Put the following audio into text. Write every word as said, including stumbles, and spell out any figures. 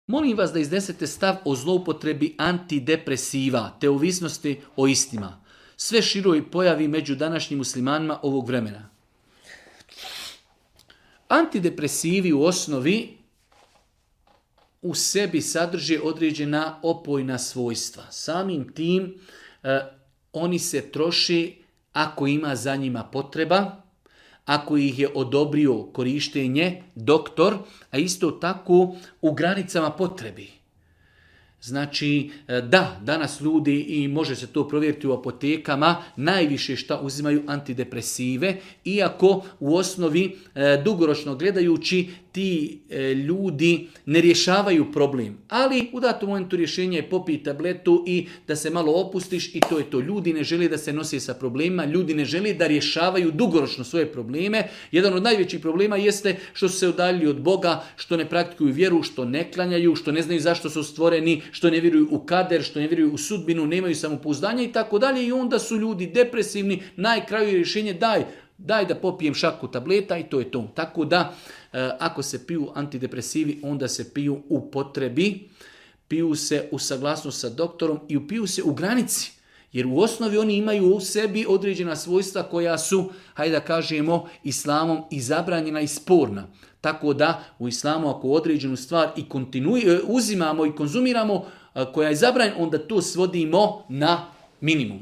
Molim vas da iznesete stav o zloupotrebi antidepresiva te ovisnosti o istima. Sve široj pojavi među današnjim muslimanima ovog vremena. Antidepresivi u osnovi u sebi sadrže određena opojna svojstva. Samim tim eh, oni se troši ako ima za njima potreba, ako ih je odobrio korištenje doktor, a isto tako u granicama potrebi. Znači, da, danas ljudi, i može se to provjeriti u apotekama, najviše šta uzimaju antidepresive, iako u osnovi e, dugoročno gledajući ti e, ljudi ne rješavaju problem. Ali u datom momentu rješenje je popij tabletu i da se malo opustiš i to je to. Ljudi ne žele da se nose sa problemima, ljudi ne žele da rješavaju dugoročno svoje probleme. Jedan od najvećih problema jeste što su se udaljili od Boga, što ne praktikuju vjeru, što ne klanjaju, što ne znaju zašto su stvoreni, što ne vjeruju u kader, što ne vjeruju u sudbinu, nemaju samopouzdanja i tako dalje. I onda su ljudi depresivni, najkraju je rješenje daj, daj da popijem šaku tableta i to je to. Tako da, ako se piju antidepresivi, onda se piju u potrebi, piju se u saglasnost sa doktorom i piju se u granici. Jer u osnovi oni imaju u sebi određena svojstva koja su, hajde da kažemo, islamom i zabranjena i sporna. Tako da u islamu ako određenu stvar i kontinuj, uzimamo i konzumiramo koja je zabranjena, onda to svodimo na minimum.